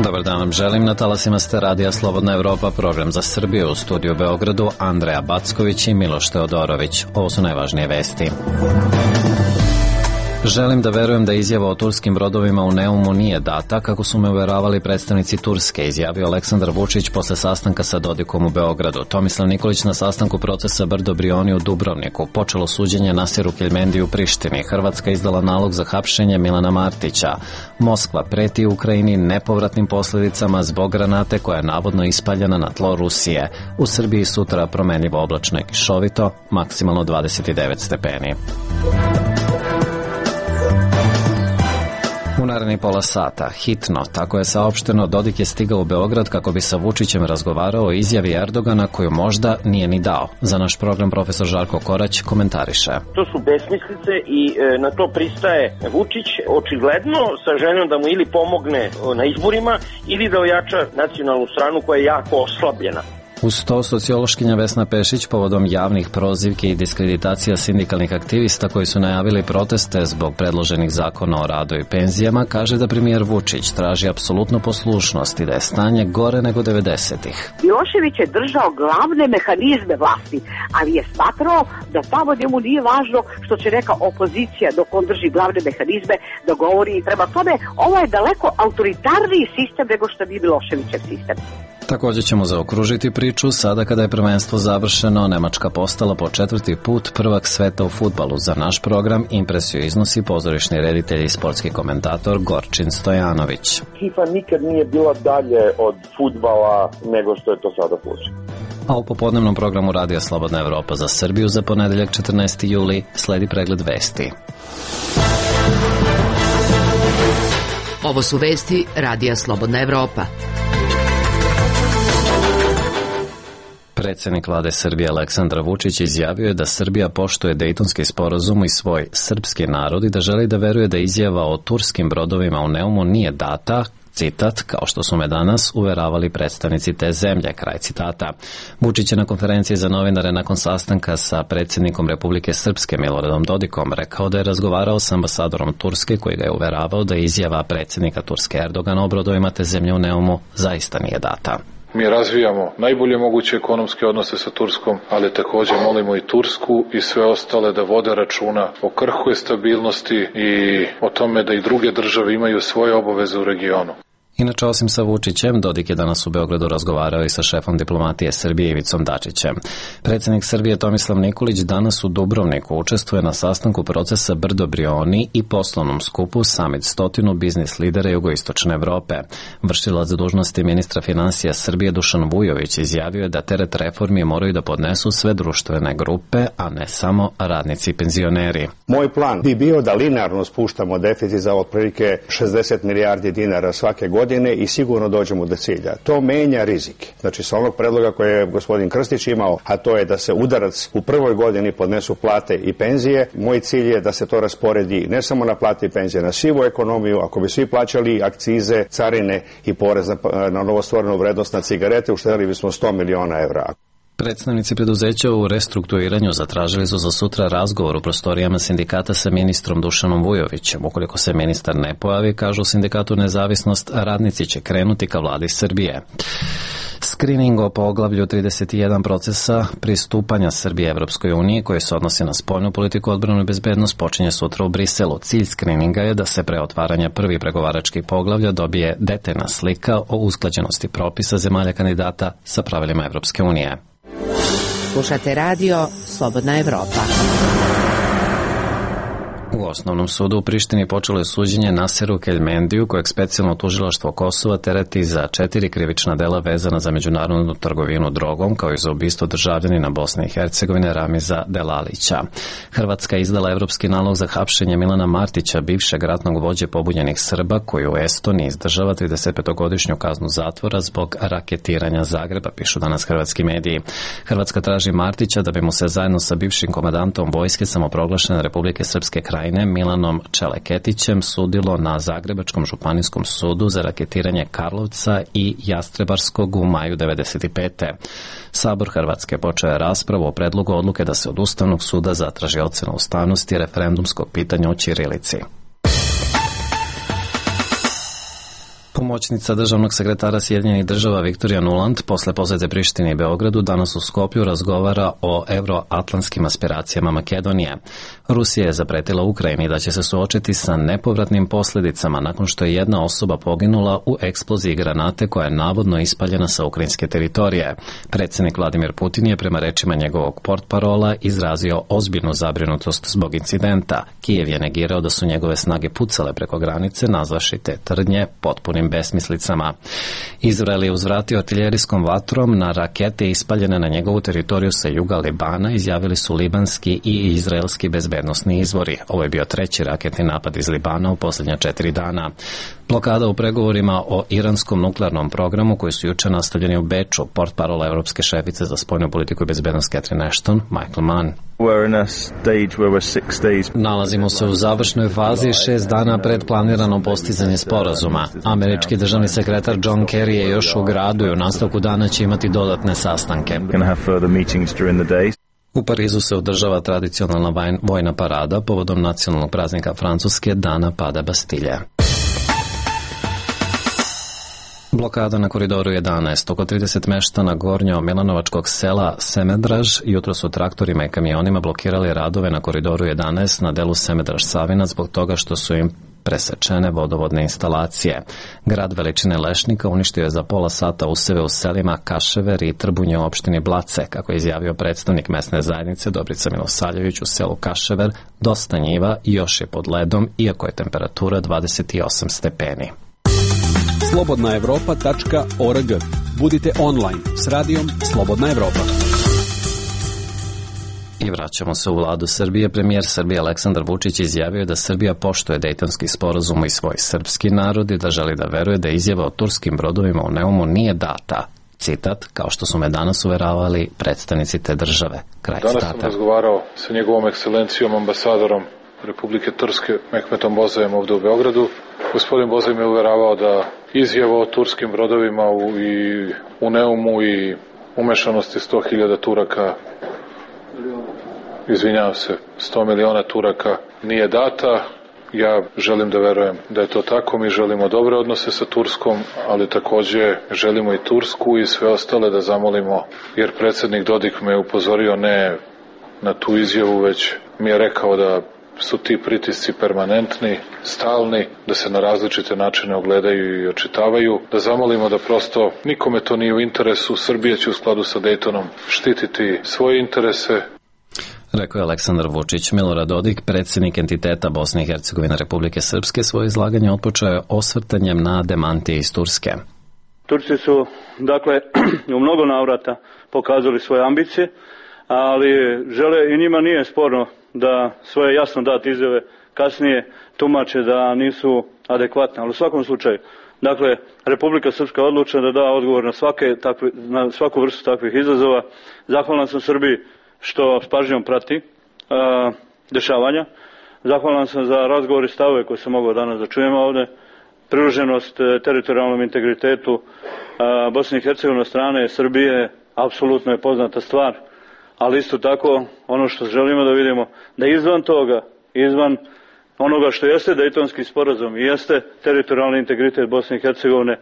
Dobar dan vam želim, na talasima ste Radija Slobodna Evropa, program za Srbiju, u studiju u Beogradu Andreja Backović i Miloš Teodorović. Ovo su najvažnije vesti. Želim da verujem da izjava o turskim brodovima u Neumu nije data, kako su me uveravali predstavnici Turske, izjavio Aleksandar Vučić posle sastanka sa Dodikom u Beogradu. Tomislav Nikolić na sastanku procesa Brdo Brioni u Dubrovniku. Počelo suđenje Nasiru Keljmendi u Prištini. Hrvatska izdala nalog za hapšenje Milana Martića. Moskva preti Ukrajini nepovratnim posledicama zbog granate koja je navodno ispaljena na tlo Rusije. U Srbiji sutra promenljivo oblačno i kišovito, maksimalno 29 stepeni. U narednih pola sata, hitno, tako je saopšteno, Dodik je stigao u Beograd kako bi sa Vučićem razgovarao o izjavi Erdogana koju možda nije ni dao. Za naš program profesor Žarko Korać komentariše. To su besmislice i na to pristaje Vučić očigledno sa željom da mu ili pomogne na izborima ili da ojača nacionalnu stranu koja je jako oslabljena. Uz to, sociološkinja Vesna Pešić povodom javnih prozivki i diskreditacija sindikalnih aktivista koji su najavili proteste zbog predloženih zakona o radu i penzijama, kaže da premijer Vučić traži apsolutnu poslušnost i da je stanje gore nego 90-ih. Milošević je držao glavne mehanizme vlasti, ali je smatrao da tamo njemu nije važno što će neka opozicija dok on drži glavne mehanizme da govori. Prema tome, ovo je daleko autoritarniji sistem nego što bi Miloševićev sistem. Također ćemo zaokružiti priču sada kada je prvenstvo završeno. Nemačka postala po 4. put prvak sveta u fudbalu. Za naš program impresiju iznosi pozorišni reditelj i sportski komentator Gorčin Stojanović. FIFA nikad nije bila dalje od fudbala nego što je to sada slučaj. A u popodnevnom programu Radija Slobodna Evropa za Srbiju za ponedeljak 14. juli sledi pregled vesti. Ovo su vesti Radija Slobodna Evropa. Predsjednik vlade Srbije Aleksandar Vučić izjavio je da Srbija poštuje Dejtonski sporazum i svoj srpski narod i da želi da veruje da izjava o turskim brodovima u Neumu nije data, citat, kao što su me danas uveravali predstavnici te zemlje, kraj citata. Vučić je na konferenciji za novinare nakon sastanka sa predsjednikom Republike Srpske Miloradom Dodikom rekao da je razgovarao sa ambasadorom Turske koji ga je uveravao da izjava predsjednika Turske Erdogana o brodovima te zemlje u Neumu zaista nije data. Mi razvijamo najbolje moguće ekonomske odnose sa Turskom, ali također molimo i Tursku i sve ostale da vode računa o krhkoj stabilnosti i o tome da i druge države imaju svoje obaveze u regionu. Inače, osim sa Vučićem, Dodik je danas u Beogradu razgovarao i sa šefom diplomatije Srbije Ivicom Dačićem. Predsjednik Srbije Tomislav Nikolić danas u Dubrovniku učestvuje na sastanku procesa Brdo Brioni i poslovnom skupu Summit 100 biznis lidera jugoistočne Evrope. Vršilac dužnosti ministra finansija Srbije Dušan Vujović izjavio je da teret reformi moraju da podnesu sve društvene grupe, a ne samo radnici i penzioneri. Moj plan bi bio da linearno spuštamo deficit za otprilike 60 milijardi dinara svake godine i sigurno dođemo do cilja. To menja rizik. Znači, sa onog predloga koje je gospodin Krstić imao, a to je da se udarac u prvoj godini podnesu plate i penzije, moj cilj je da se to rasporedi ne samo na plate i penzije, na sivu ekonomiju. Ako bi svi plaćali akcize, carine i porez na novostvorenu vrednost na cigarete, uštedeli bismo 100 miliona evra. Predstavnici preduzeća u restrukturiranju zatražili su za sutra razgovor u prostorijama sindikata sa ministrom Dušanom Vujovićem. Ukoliko se ministar ne pojavi, kažu sindikatu Nezavisnost, radnici će krenuti ka vladi Srbije. Skrining o poglavlju 31 procesa pristupanja Srbije Evropskoj uniji koji se odnosi na spoljnu politiku, odbranu i bezbednost počinje sutra u Briselu. Cilj skrininga je da se pre otvaranja prvi pregovaračkih poglavlja dobije detaljna slika o usklađenosti propisa zemalja kandidata sa pravilima Evropske unije. Slušate radio Slobodna Evropa. U Osnovnom sudu u Prištini počelo je suđenje Nasiru Keljmendiju, kojeg specijalno tužilaštvo Kosova tereti za 4 krivična dela vezana za međunarodnu trgovinu drogom, kao i za ubistvo državljanina Bosne i Hercegovine Ramiza Delalića. Hrvatska je izdala evropski nalog za hapšenje Milana Martića, bivšeg ratnog vođe pobunjenih Srba, koji u Estoniji izdržava 35-godišnju kaznu zatvora zbog raketiranja Zagreba, pišu danas hrvatski mediji. Hrvatska traži Martića da bi mu se zajedno sa bivšim komandantom vojske samoproglašene Republike Srpske Krajine Milanom Čeleketićem sudilo na Zagrebačkom županijskom sudu za raketiranje Karlovca i Jastrebarskog u maju 1995. Sabor Hrvatske počeo je raspravu o predlogu odluke da se od Ustavnog suda zatraži ocena ustavnosti referendumskog pitanja o ćirilici. Pomoćnica državnog sekretara Sjedinjenih država Viktorija Nuland posle posete Prištini i Beogradu danas u Skoplju razgovara o evroatlantskim aspiracijama Makedonije. Rusija je zapretila Ukrajini da će se suočiti sa nepovratnim posljedicama nakon što je jedna osoba poginula u eksploziji granate koja je navodno ispaljena sa ukrajinske teritorije. Predsjednik Vladimir Putin je prema rečima njegovog portparola izrazio ozbiljnu zabrinutost zbog incidenta. Kijev je negirao da su njegove snage pucale preko granice, nazvaši te tvrdnje potpunim besmislicama. Izrael je uzvratio artiljerijskom vatrom na rakete ispaljene na njegovu teritoriju sa juga Libana, izjavili su libanski i izraelski bezbednosni izvori. Ovo je bio treći raketni napad iz Libana u posljednja 4 dana. Blokada u pregovorima o iranskom nuklearnom programu koji su juče nastavljeni u Beču, portparola Evropske šefice za spoljnu politiku i bezbednost Catherine Ashton, Michael Mann. Nalazimo se u završnoj fazi 6 dana pred planirano postizanje sporazuma. Američki državni sekretar John Kerry je još u gradu i u nastavku dana će imati dodatne sastanke. U Parizu se održava tradicionalna vojna parada povodom nacionalnog praznika Francuske, Dana pada Bastilje. Blokada na koridoru 11. Oko 30 meštana gornjo-milanovačkog sela Semedraž jutro su traktorima i kamionima blokirali radove na koridoru 11 na delu Semedraž-Savinac zbog toga što su im presečene vodovodne instalacije. Grad veličine lešnika uništio je za pola sata useve u selima Kašever i Trbunje u opštini Blace, kako je izjavio predstavnik mesne zajednice Dobrica Milosavljević. U selu Kašever dosta njiva još je pod ledom, iako je temperatura 28 stepeni. slobodnaevropa.org. Budite online s radijom Slobodna Evropa. I vraćamo se u vladu Srbije. Premijer Srbije Aleksandar Vučić izjavio da Srbija poštuje Dejtonski sporazum i svoj srpski narod i da želi da veruje da izjava o turskim brodovima u Neumu nije data. Citat, kao što su me danas uveravali predstavnici te države. Kraj citata. Danas sam razgovarao sa njegovom ekscelencijom ambasadorom Republike Turske Mehmetom Bozajem ovde u Beogradu. Gospodin Bozaj me uveravao da izjava o turskim brodovima u Neumu i umešanosti 100.000 Turaka, izvinjavam se, 100 miliona Turaka nije data. Ja želim da verujem da je to tako. Mi želimo dobre odnose sa Turskom, ali takođe želimo i Tursku i sve ostale da zamolimo, jer predsjednik Dodik me upozorio ne na tu izjavu, već mi je rekao da su ti pritisci permanentni, stalni, da se na različite načine ogledaju i očitavaju, da zamolimo da prosto nikome to nije u interesu. Srbija će u skladu sa Dejtonom štititi svoje interese. Rekao je Aleksandar Vučić. Milorad Dodik, predsjednik entiteta Bosne i Hercegovine Republike Srpske, svoje izlaganje otpočeo je osvrtanjem na demantije iz Turske. Turci su, dakle, u mnogo navrata pokazali svoje ambicije, ali žele i njima nije sporno da svoje jasno date izjave kasnije tumače da nisu adekvatne. Ali u svakom slučaju, dakle, Republika Srpska je odlučena da da odgovor na svaku vrstu takvih izazova. Zahvalan sam Srbiji što s pažnjom prati dešavanja. Zahvalan sam za razgovor i stavove koje sam mogao danas da čujem ovde. Privrženost teritorijalnom integritetu Bosne i Hercegovine od strane Srbije apsolutno je poznata stvar, ali isto tako ono što želimo da vidimo, da izvan toga, izvan onoga što jeste Dejtonski sporazum i jeste teritorijalni integritet Bosne i Hercegovine,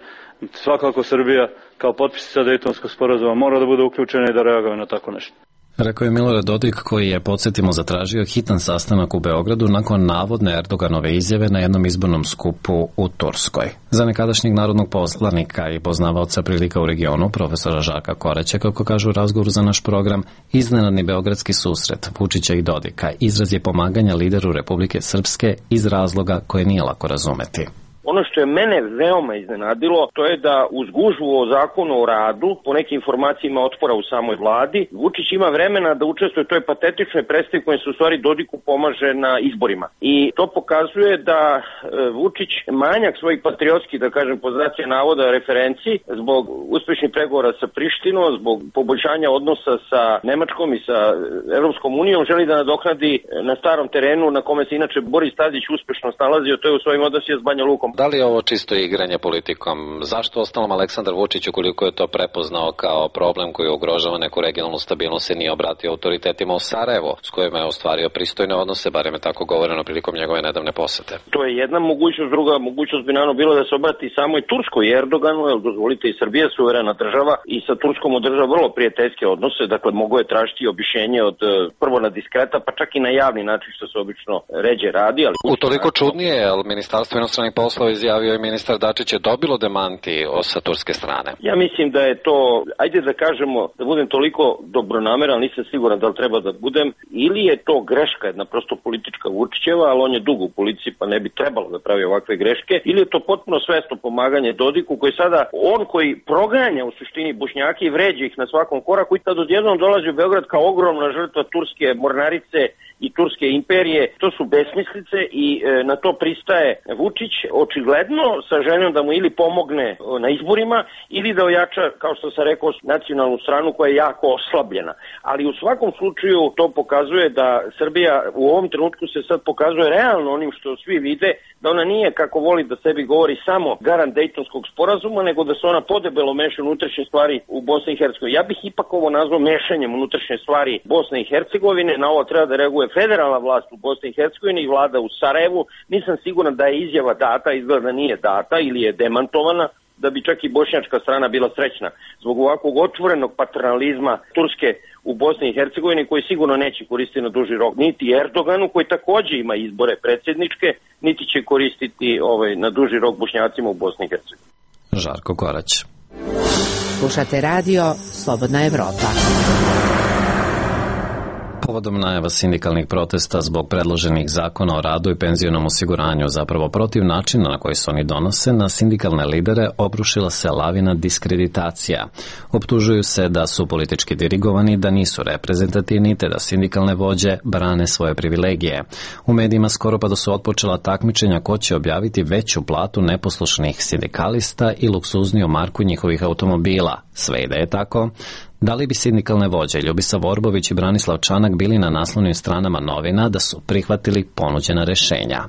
svakako Srbija kao potpisnica Dejtonskog sporazuma mora da bude uključena i da reaguje na tako nešto. Rekao je Milorad Dodik, koji je, podsjetimo, zatražio hitan sastanak u Beogradu nakon navodne Erdoganove izjave na jednom izbornom skupu u Turskoj. Za nekadašnjeg narodnog poslanika i poznavaoca prilika u regionu, profesora Žarka Koraća, kako kaže u razgovoru za naš program, iznenadni beogradski susret Vučića i Dodika izraz je pomaganja lideru Republike Srpske iz razloga koje nije lako razumeti. Ono što je mene veoma iznenadilo, to je da uz gužvu o zakonu o radu, po nekim informacijama otpora u samoj vladi, Vučić ima vremena da učestvuje u toj patetičnoj predstavi kojom se u stvari Dodiku pomaže na izborima. I to pokazuje da Vučić manjak svojih patriotskih, da kažem, po znacima navoda referenci, zbog uspešnih pregovora sa Prištinom, zbog poboljšanja odnosa sa Nemačkom i sa Evropskom unijom, želi da nadoknadi na starom terenu na kome se inače Boris Tadić uspešno snalazio, to je u svojim odnosima s Banja Lukom. Da li je ovo čisto igranje politikom? Zašto ostalom Aleksandar Vučić, ukoliko je to prepoznao kao problem koji ugrožava neku regionalnu stabilnost, se nije obratio autoritetima u Sarajevo, s kojima je ostvario pristojne odnose, barem je tako govoreno prilikom njegove nedavne posete? To je jedna mogućnost, druga mogućnost bi naravno bilo da se obrati samo i Turskoj i Erdoganu, jer dozvolite, i Srbija suverena država i sa Turskom održava vrlo prijateljske odnose, dakle mogo je tražiti objašnjenje od prvo na diskreta, pa čak i na javni način, što se obično ređe radi. Ali utoliko čudnije, jer Ministarstvo inostranih poslova izjavio i ministar Dačić je dobilo demanti sa turske strane. Ja mislim da je to, ajde da kažemo, da budem toliko dobronameran, nisam siguran da li treba da budem, ili je to greška, jedna prosto politička Vučićeva, ali on je dugo u policiji pa ne bi trebalo da pravi ovakve greške, ili je to potpuno svesno pomaganje Dodiku, koji sada, on koji proganja u suštini Bošnjake i vređa ih na svakom koraku i tad odjednom dolazi u Beograd kao ogromna žrtva turske mornarice i turske imperije. To su besmislice i na to pristaje Vučić, očigledno sa željom da mu ili pomogne na izborima ili da ojača, kao što sam rekao, nacionalnu stranu koja je jako oslabljena. Ali u svakom slučaju to pokazuje da Srbija u ovom trenutku se sad pokazuje realno onim što svi vide, da ona nije, kako voli da sebi govori, samo garant Dejtonskog sporazuma, nego da se ona podebelo meša unutrašnje stvari u Bosni i Hercegovini. Ja bih ipak ovo nazvao mešanjem unutrašnje stvari Bosne i Hercegovine. Na ovo treba da reaguje federalna vlast u Bosni i Hercegovini i vlada u Sarajevu. Nisam siguran da je izjava data, izgleda da nije data ili je demantovana, da bi čak i bošnjačka strana bila srećna zbog ovakvog otvorenog paternalizma Turske u Bosni i Hercegovini, koji sigurno neće koristiti na duži rok niti Erdoganu, koji takođe ima izbore predsjedničke, niti će koristiti na duži rok Bošnjacima u Bosni i Hercegovini. Žarko Korać. Slušate radio Slobodna Evropa. Povodom najava sindikalnih protesta zbog predloženih zakona o radu i penzionom osiguranju, zapravo protiv načina na koji se oni donose, na sindikalne lidere obrušila se lavina diskreditacija. Optužuju se da su politički dirigovani, da nisu reprezentativni, te da sindikalne vođe brane svoje privilegije. U medijima skoro pa da su otpočela takmičenja ko će objaviti veću platu neposlušnih sindikalista i luksuzniju marku njihovih automobila. Sve i da je tako, da li bi sindikalne vođe Ljubisa Vorbović i Branislav Čanak bili na naslovnim stranama novina da su prihvatili ponuđena rešenja?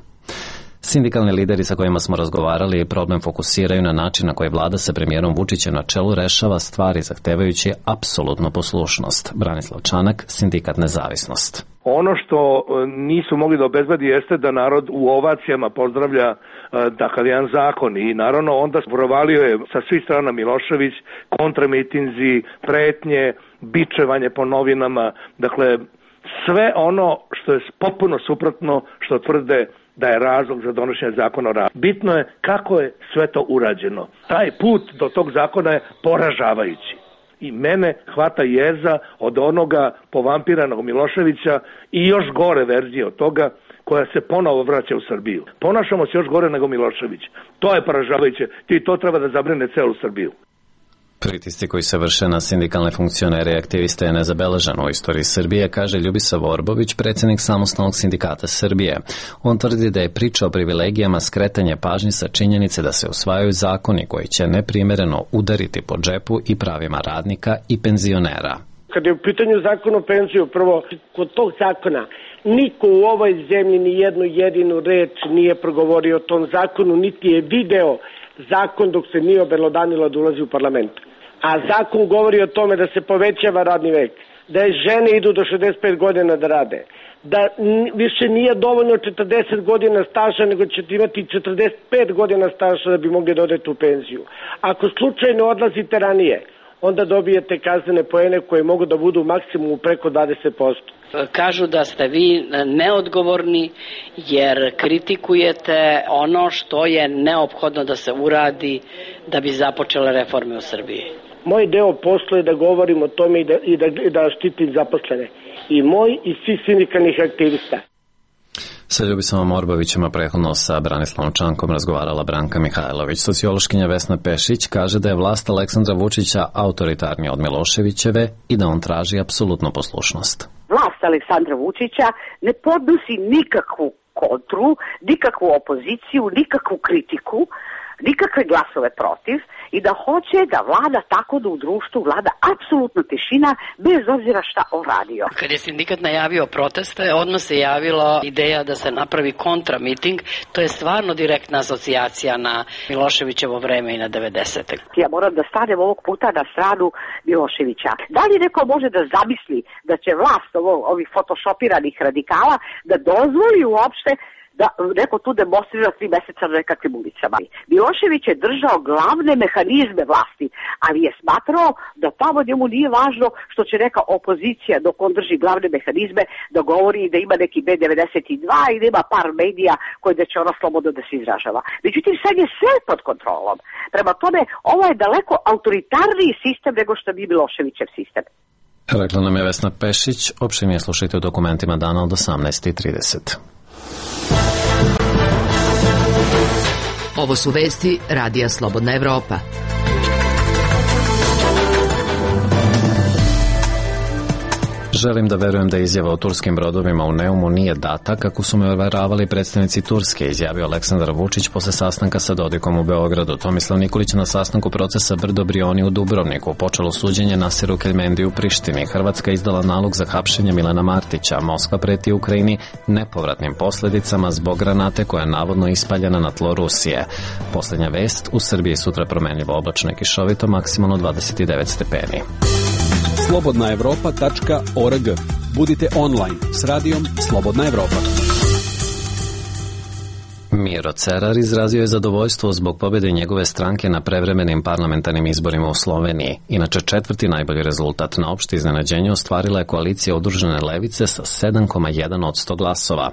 Sindikalni lideri sa kojima smo razgovarali problem fokusiraju na način na koji vlada sa premijerom Vučićem na čelu rešava stvari zahtevajući apsolutnu poslušnost. Branislav Čanak, Sindikat Nezavisnost. Ono što nisu mogli da obezbedi jeste da narod u ovacijama pozdravlja takav jedan zakon i naravno onda provalio je sa svih strana Milošević, kontramitinzi, pretnje, bičevanje po novinama, dakle sve ono što je potpuno suprotno što tvrde da je razlog za donošenje zakona o radu. Bitno je kako je sve to urađeno. Taj put do tog zakona je poražavajući. I mene hvata jeza od onoga povampiranog Miloševića i još gore verzije od toga koja se ponovo vraća u Srbiju. Ponašamo se još gore nego Milošević. To je poražavajuće. I to treba da zabrine celu Srbiju. Pritisci koji se vrše na sindikalne funkcionere i aktiviste je nezabeležen u istoriji Srbije, kaže Ljubisa Vorbović, predsjednik Samostalnog sindikata Srbije. On tvrdi da je priča o privilegijama skretanje pažnje sa činjenice da se usvajaju zakoni koji će neprimereno udariti po džepu i pravima radnika i penzionera. Kad je u pitanju zakon o penziju, prvo, kod tog zakona niko u ovoj zemlji ni jednu jedinu reč nije progovorio o tom zakonu, niti je video zakon dok se nije obelodanilo da ulazi u parlament. A zakon govori o tome da se povećava radni vek, da je žene idu do 65 godina da rade, da više nije dovoljno 40 godina staža, nego ćete imati 45 godina staža da bi mogli da odete u penziju. Ako slučajno odlazite ranije, onda dobijete kaznene poene koje mogu da budu maksimum preko 20%. Kažu da ste vi neodgovorni jer kritikujete ono što je neophodno da se uradi da bi započele reforme u Srbiji. Moj deo posla je da govorim o tome i da štitim zaposlene. I moj i svih sindikalnih aktivista. Sa Ljubisom Vorbovićem, a prethodno sa Branislavom Čankom razgovarala Branka Mihajlović. Sociološkinja Vesna Pešić kaže da je vlast Aleksandra Vučića autoritarnija od Miloševićeve i da on traži apsolutnu poslušnost. Vlast Aleksandra Vučića ne podnosi nikakvu kontru, nikakvu opoziciju, nikakvu kritiku. nikakve glasove protiv i da hoće da vlada tako da u društvu vlada apsolutna tišina bez obzira šta on radio. Kad je sindikat najavio proteste, odmah se javila ideja da se napravi kontramiting. To je stvarno direktna asocijacija na Miloševićevo vreme i na 90. Ja moram da stanem ovog puta na stranu Miloševića. Da li neko može da zamisli da će vlast ovih photoshopiranih radikala da dozvoli uopšte da neko tu demonstrira 3 meseca na nekakvim ulicama. Milošević je držao glavne mehanizme vlasti, ali je smatrao da tamo njemu nije važno što će neka opozicija dok on drži glavne mehanizme da govori da ima neki B92 i da ima par medija koji da će ona slobodno da se izražava. Međutim, sad je sve pod kontrolom. Prema tome, ovo je daleko autoritarniji sistem nego što bi Miloševićev sistem. Rekla nam je Vesna Pešić, opširnije slušajte u dokumentima dana od 18:30. Ovo su vesti Radija Slobodna Evropa. Želim da verujem da izjava o turskim brodovima u Neumu nije data, kako su me uveravali predstavnici Turske, izjavio Aleksandar Vučić posle sastanka sa Dodikom u Beogradu. Tomislav Nikolić na sastanku procesa Brdo Brioni u Dubrovniku. Počelo suđenje Nasiru Keljmendi u Prištini. Hrvatska izdala nalog za hapšenje Milana Martića. Moskva preti Ukrajini nepovratnim posledicama zbog granate koja je navodno ispaljena na tlo Rusije. Poslednja vest, u Srbiji sutra promenljivo oblačno i kišovito, maksimalno 29 stepeni. slobodnaevropa.org. Budite online s radijom Slobodna Evropa. Miro Cerar izrazio je zadovoljstvo zbog pobjede njegove stranke na prevremenim parlamentarnim izborima u Sloveniji. Inače, 4. najbolji rezultat na opšte iznenađenje ostvarila je koalicija Udružene levice sa 7,1% glasova.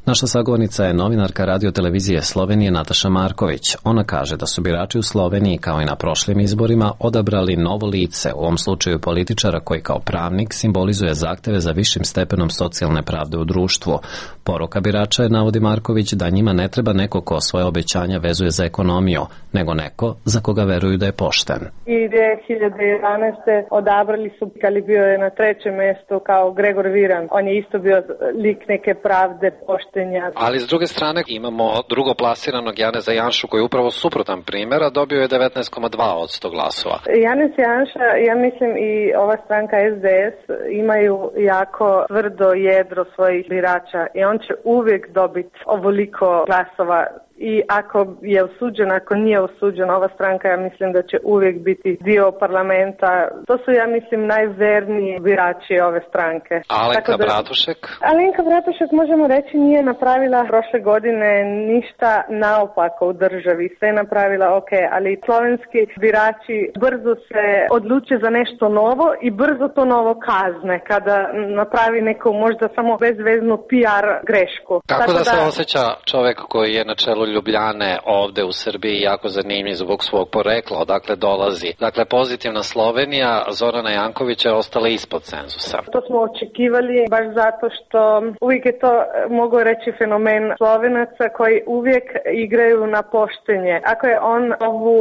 Naša sagovornica je novinarka radio-televizije Slovenije Nataša Marković. Ona kaže da su birači u Sloveniji, kao i na prošlim izborima, odabrali novo lice, u ovom slučaju političara koji kao pravnik simbolizuje zahteve za višim stepenom socijalne pravde u društvu. Poruka birača je, navodi Marković, da njima ne treba neko ko svoje obećanja vezuje za ekonomiju, nego neko za koga veruju da je pošten. I 2011. odabrali su, ali bio je na 3. mestu kao Gregor Viran. On je isto bio lik neke pravde, poštenja. Ali s druge strane imamo drugoplasiranog Janeza Janšu koji je upravo suprotan primjer, a dobio je 19,2% glasova. Janez Janša, ja mislim i ova stranka SDS imaju jako tvrdo jedro svojih birača i on će uvijek dobiti ovoliko glasova. I ako je osuđen, ako nije osuđen, ova stranka, ja mislim da će uvijek biti dio parlamenta. To su, ja mislim, najverniji birači ove stranke. Alenka Bratušek? Alenka Bratušek, možemo reći, nije napravila prošle godine ništa naopako u državi. Sve je napravila ok, ali slovenski birači brzo se odluče za nešto novo i brzo to novo kazne kada napravi neku možda samo bezveznu PR grešku. Kako da se osjeća čovek koji je na čelu Ljubljane ovde u Srbiji jako zanimljiv zbog svog porekla, odakle dolazi? Dakle, pozitivna Slovenija Zorana Jankovića je ostala ispod cenzusa. To smo očekivali baš zato što uvijek je to, mogu reći, fenomen Slovenaca koji uvijek igraju na poštenje. Ako je on ovu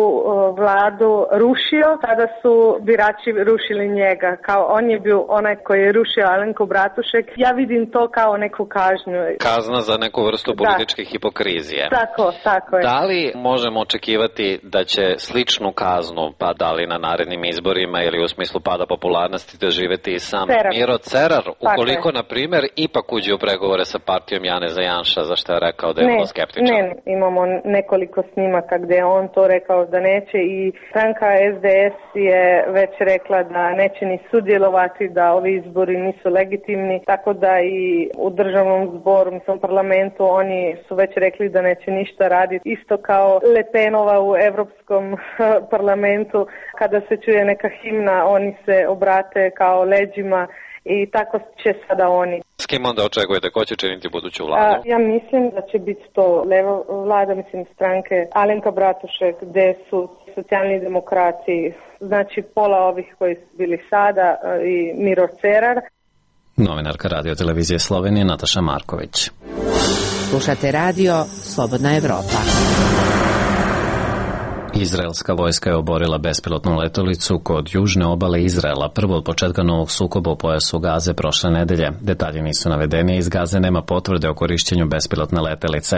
vladu rušio, tada su birači rušili njega. Kao on je bio onaj koji je rušio Alenku Bratušek. Ja vidim to kao neku kažnju. Kazna za neku vrstu političke hipokrizije. Tako je. Da li možemo očekivati da će sličnu kaznu, pa da li na narednim izborima ili u smislu pada popularnosti, doživeti i sam Miro Cerar, ukoliko, na primjer, ipak uđe u pregovore sa partijom Janeza Janša, za što je rekao da je vrlo skeptičan? Ne, imamo nekoliko snimaka gdje je on to rekao da neće i stranka SDS je već rekla da neće ni sudjelovati, da ovi izbori nisu legitimni, tako da i u državnom zboru, mislim, parlamentu, oni su već rekli da neće ništa raditi. Isto kao Le Penova u Europskom parlamentu, kada se čuje neka himna, oni se obrate kao leđima i tako će sada oni. S kim onda očekujete? Ko će činiti buduću vladu? Ja mislim da će biti to levo vlada, mislim, stranke Alenka Bratušek, gdje su socijalni demokrati, znači pola ovih koji su bili sada i Miro Cerar. Novinarka radio-televizije Slovenije Nataša Marković. Slušate radio Slobodna Evropa. Izraelska vojska je oborila bespilotnu letelicu kod južne obale Izraela, prvo od početka novog sukoba u pojasu Gaze prošle nedelje. Detalji nisu navedeni, iz Gaze nema potvrde o korišćenju bespilotne letelice.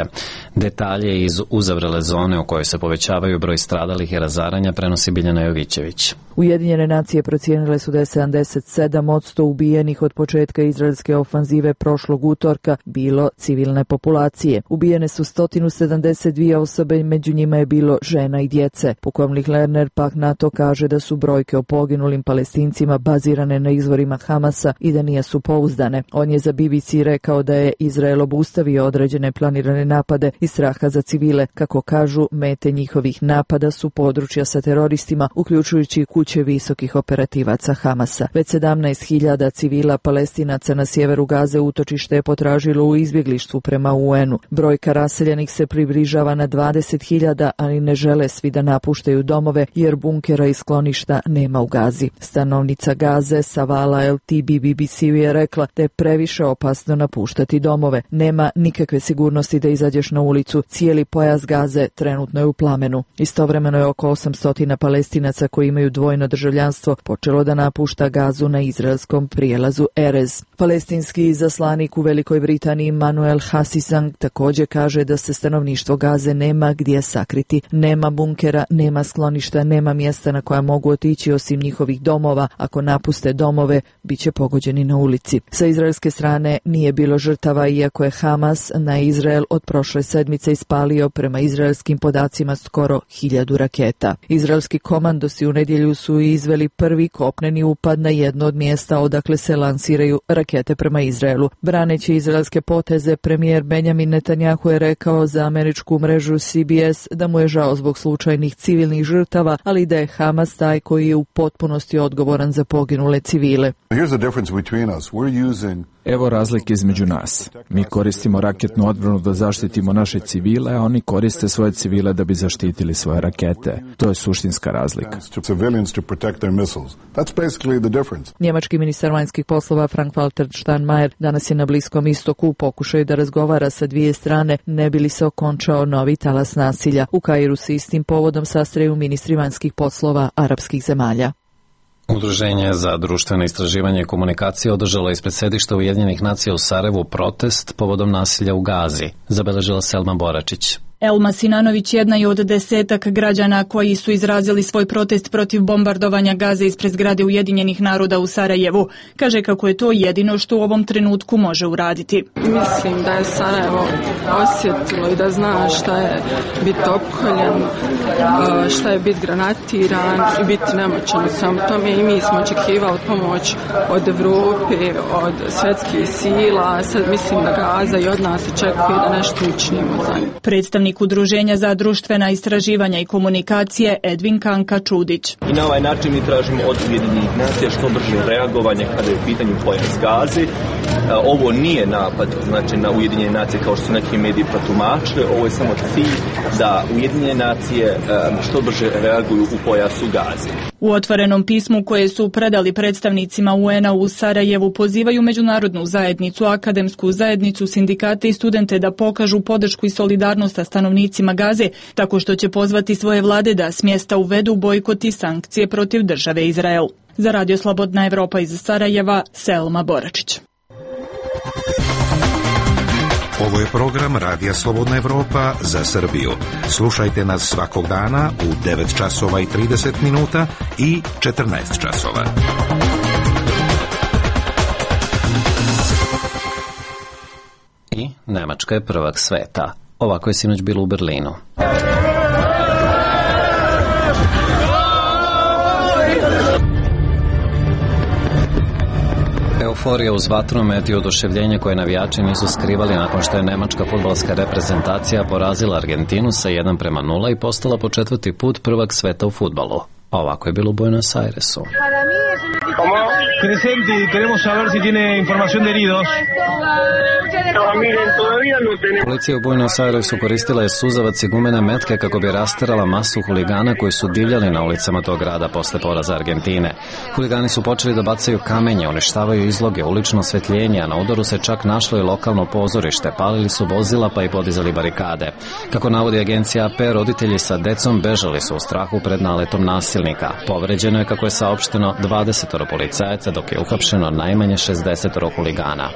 Detalje iz uzavrele zone u kojoj se povećavaju broj stradalih i razaranja prenosi Biljana Jovićević. Ujedinjene nacije procijenile su da je 77% ubijenih od početka izraelske ofanzive prošlog utorka bilo civilne populacije. Ubijene su 172 osobe, među njima je bilo žena i djece. Pukovnik Lerner pak na to kaže da su brojke o poginulim Palestincima bazirane na izvorima Hamasa i da nisu pouzdane. On je za BBC rekao da je Izrael obustavio određene planirane napade iz straha za civile. Kako kažu, mete njihovih napada su područja sa teroristima, uključujući kuće visokih operativaca Hamasa. Već 17.000 civila Palestinaca na sjeveru Gaze utočište je potražilo u izbjeglištvu prema UN-u. Brojka raseljenih se približava na 20.000, ali ne žele svi da napuštaju domove jer bunkera i skloništa nema u Gazi. Stanovnica Gaze Savala LTB BBC-u je rekla da je previše opasno napuštati domove. Nema nikakve sigurnosti da izađeš na ulicu. Cijeli pojas Gaze trenutno je u plamenu. Istovremeno je oko 800 Palestinaca koji imaju dvojno državljanstvo počelo da napušta Gazu na izraelskom prijelazu Erez. Palestinski izaslanik u Velikoj Britaniji Manuel Hassisang također kaže da se stanovništvo Gaze nema gdje sakriti. Nema bunkera, nema skloništa, nema mjesta na koja mogu otići osim njihovih domova. Ako napuste domove, bit će pogođeni na ulici. Sa izraelske strane nije bilo žrtava, iako je Hamas na Izrael od prošle sedmice ispalio prema izraelskim podacima skoro 1000 raketa. Izraelski komandosi u nedjelju su izveli prvi kopneni upad na jedno od mjesta odakle se lansiraju rakete prema Izraelu. Braneći izraelske poteze, premijer Benjamin Netanjahu je rekao za američku mrežu CBS da mu je žao zbog slučajnih civilnih žrtava, ali da je Hamas taj koji je u potpunosti odgovoran za poginule civile. Evo razlike između nas. Mi koristimo raketnu odbranu da zaštitimo naše civile, a oni koriste svoje civile da bi zaštitili svoje rakete. To je suštinska razlika. Njemački ministar vanjskih poslova Frank-Walter Steinmeier danas je na Bliskom istoku u pokušaju da razgovara sa dvije strane ne bi li se okončao novi talas nasilja. U Kairu se istim povodom sastaju ministri vanjskih poslova arapskih zemalja. Udruženje za društveno istraživanje i komunikacije održalo ispred sedišta Ujedinjenih nacija u Sarajevu protest povodom nasilja u Gazi, zabeležila Selma Boračić. Elma Sinanović jedna je od 10 građana koji su izrazili svoj protest protiv bombardovanja Gaze ispred zgrade Ujedinjenih naroda u Sarajevu. Kaže kako je to jedino što u ovom trenutku može uraditi. Mislim da je Sarajevo osjetilo i da zna šta je biti opkoljen, šta je biti granatiran i biti nemoćan sam tome i mi smo očekivali pomoć od Evrope, od svjetskih sila. Sad mislim da Gaza i od nas očekuje da nešto učinimo za njih. Predstavnik Udruženja za društvena istraživanja i komunikacije Edvin Kanka Čudić. I na ovaj način mi tražimo od Ujedinjenih nacija što brže reagovanje kada je u pitanju pojas Gaze. Ovo nije napad znači, na Ujedinjene nacije kao što su neki mediji protumačili. Ovo je samo cilj da Ujedinjene nacije što brže reaguju u pojasu Gaze. U otvorenom pismu koje su predali predstavnicima UN-a u Sarajevu pozivaju međunarodnu zajednicu, akademsku zajednicu, sindikate i studente da pokažu podršku i solidarnost sa stanovnicima Gaze, tako što će pozvati svoje vlade da s mjesta uvedu bojkot i sankcije protiv države Izrael. Za Radio Slobodna Evropa iz Sarajeva, Selma Boračić. Ovo je program Radija Slobodna Evropa za Srbiju. Slušajte nas svakog dana u 9 časova i 30 minuta i 14 časova. I Nemačka je prvak sveta. Ovako je sinoć bilo u Berlinu. Euforija uz vatromet i oduševljenje koje navijači nisu skrivali nakon što je nemačka fudbalska reprezentacija porazila Argentinu sa 1:0 i postala po 4. put prvak sveta u fudbalu. A ovako je bilo u Buenos Airesu. Presenti, queremos saber si tiene información de heridos. Policija u Buenos Airesu koristila je suzavac i gumene metke kako bi rasterala masu huligana koji su divljali na ulicama tog grada posle poraza Argentine. Huligani su počeli da bacaju kamenje, uništavaju izloge, ulično osvetljenje, a na udaru se čak našlo i lokalno pozorište. Palili su vozila pa i podizali barikade. Kako navodi agencija AP, roditelji sa decom bežali su u strahu pred naletom nasilnika. Povređeno je, kako je saopšteno, 20 policajaca, dok je uhapšeno najmanje 60 huligana.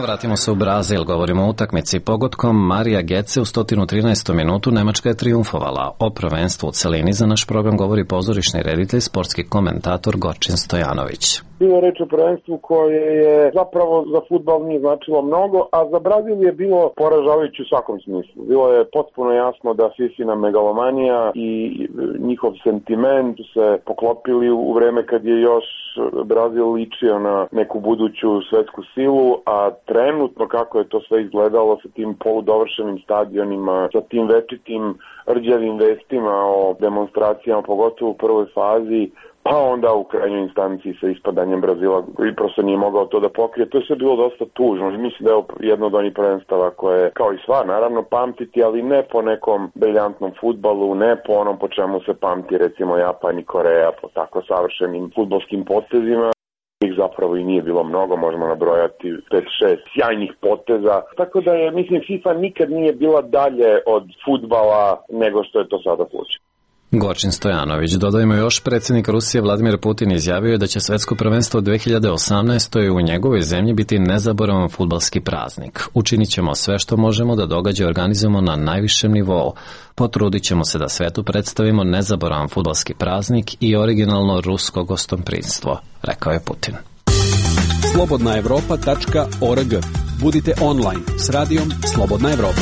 Vratimo se u Brazil, govorimo o utakmici. Pogodkom Marija Gece u 113. minutu Nemačka je trijumfovala. O prvenstvu u celini za naš program govori pozorišni reditelj, sportski komentator Gorčin Stojanović. Bilo je reč o prvenstvu koje je zapravo za fudbal nije značilo mnogo, a za Brazil je bilo poražavajuće u svakom smislu. Bilo je potpuno jasno da Fifina megalomanija i njihov sentiment se poklopili u vreme kad je još Brazil ličio na neku buduću svetsku silu, a trenutno kako je to sve izgledalo sa tim poludovršenim stadionima, sa tim večitim rđavim vestima o demonstracijama, pogotovo u prvoj fazi, pa onda u krajnjoj instanciji sa ispadanjem Brazila i prosto nije mogao to da pokrije. To je sve bilo dosta tužno. Mislim da je jedno od onih prvenstava koje, kao i sva, naravno pamtiti, ali ne po nekom briljantnom fudbalu, ne po onom po čemu se pamti recimo Japan i Koreja, po tako savršenim fudbalskim potezima. Ih zapravo i nije bilo mnogo, možemo nabrojati 5-6 sjajnih poteza. Tako da je, mislim, FIFA nikad nije bila dalje od fudbala nego što je to sada slučaj. Gorčin Stojanović. Dodajmo još, predsjednik Rusije Vladimir Putin izjavio je da će svetsko prvenstvo 2018. u njegovoj zemlji biti nezaboravan fudbalski praznik. Učinit ćemo sve što možemo da događaj organizujemo na najvišem nivou. Potrudit ćemo se da svetu predstavimo nezaboravan fudbalski praznik i originalno rusko gostoprimstvo, rekao je Putin. slobodnaevropa.org. Budite online s radijom Slobodna Evropa.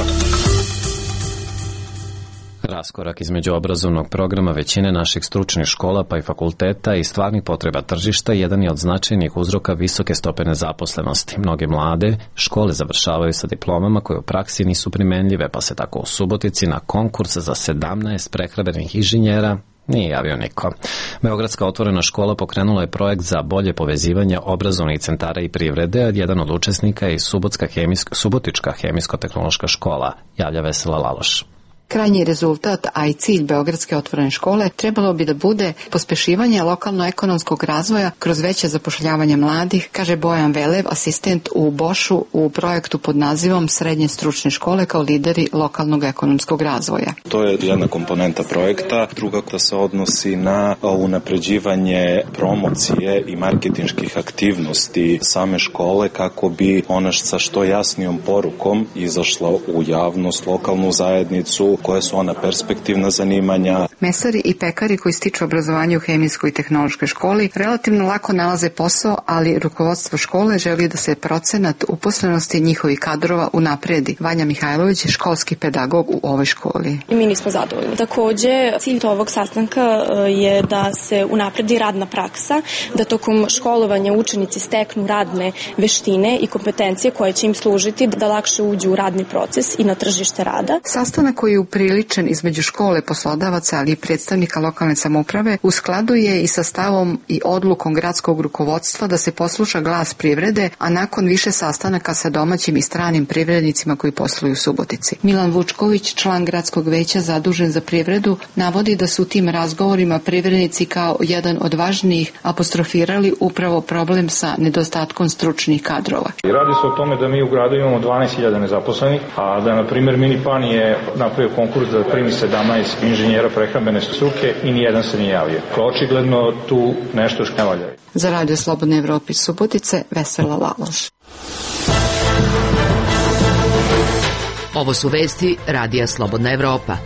Raskorak između obrazovnog programa većine naših stručnih škola pa i fakulteta i stvarnih potreba tržišta jedan je od značajnih uzroka visoke stope nezaposlenosti. Mnoge mlade škole završavaju sa diplomama koje u praksi nisu primenljive, pa se tako u Subotici na konkurs za 17 prehrambenih inženjera nije javio niko. Beogradska otvorena škola pokrenula je projekt za bolje povezivanje obrazovnih centara i privrede, a jedan od učesnika je i Subotička hemijsko-tehnološka škola, javlja Vesela Laloš. Krajnji rezultat, a i cilj Beogradske otvorene škole trebalo bi da bude pospešivanje lokalno-ekonomskog razvoja kroz veće zapošljavanje mladih, kaže Bojan Velev, asistent u Bošu u projektu pod nazivom Srednje stručne škole kao lideri lokalnog ekonomskog razvoja. To je jedna komponenta projekta, druga koja se odnosi na unapređivanje promocije i marketinških aktivnosti same škole kako bi ona sa što jasnijom porukom izašla u javnost, lokalnu zajednicu, koje su ona perspektivna zanimanja. Mesari i pekari koji stiču obrazovanje u hemijskoj i tehnološkoj školi relativno lako nalaze posao, ali rukovodstvo škole želi da se procenat uposlenosti njihovih kadrova unapredi. Vanja Mihajlović je školski pedagog u ovoj školi. Mi nismo zadovoljni. Takođe, cilj ovog sastanka je da se unapredi radna praksa, da tokom školovanja učenici steknu radne veštine i kompetencije koje će im služiti da lakše uđu u radni proces i na tržište rada. Sastanak koji je upriličen između škole, poslodavaca, ali i predstavnika lokalne samouprave, u skladu je i sa stavom i odlukom gradskog rukovodstva da se posluša glas privrede, a nakon više sastanaka sa domaćim i stranim privrednicima koji posluju u Subotici. Milan Vučković, član gradskog veća zadužen za privredu, navodi da su u tim razgovorima privrednici kao jedan od važnijih apostrofirali upravo problem sa nedostatkom stručnih kadrova. Radi se o tome da mi u gradu imamo 12.000 nezaposlenih, a da, na primjer, Minipan je napravio konkurs da primi 17 inženjera prehrambene struke i nijedan se nije javio. Očigledno tu nešto ne valja. Za Radio Slobodne Evrope iz Subotice, Vesela Laloš. Ovo su vesti Radija Slobodna Evropa.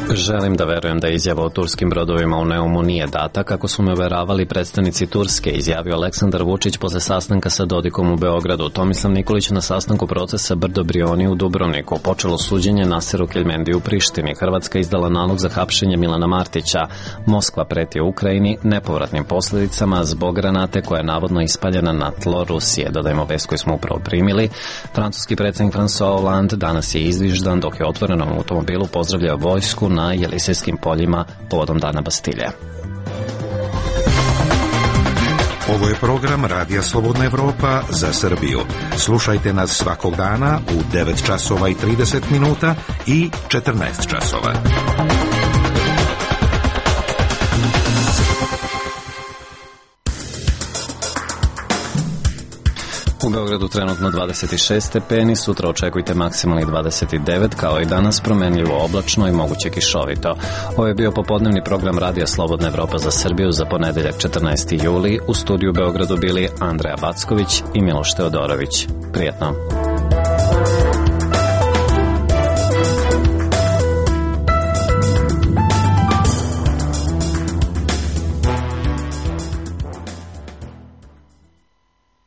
Želim da verujem da izjava o turskim brodovima u Neumu nije data, kako su me uveravali predstavnici Turske, izjavio Aleksandar Vučić posle sastanka sa Dodikom u Beogradu. Tomislav Nikolić na sastanku procesa Brdo Brioni u Dubrovniku. Počelo suđenje Naseru Keljmendiju u Prištini. Hrvatska izdala nalog za hapšenje Milana Martića. Moskva preti Ukrajini nepovratnim posledicama zbog granate koja je navodno ispaljena na tlo Rusije. Dodajmo vest koju smo upravo primili. Francuski predsjednik François Hollande danas je izviždan dok je otvorenom automobilu pozdravljao vojsku na na Jelisejskim poljima povodom Dana Bastilje. Ovo je program Radija Slobodna Evropa za Srbiju. Slušajte nas svakog dana u 9 časova i 30 minuta i 14 časova. U Beogradu trenutno 26 stepeni, sutra očekujte maksimalnih 29, kao i danas promenljivo oblačno i moguće kišovito. Ovo je bio popodnevni program Radija Slobodna Evropa za Srbiju za ponedeljak 14. juli. U studiju u Beogradu bili Andreja Backović i Miloš Teodorović. Prijetno.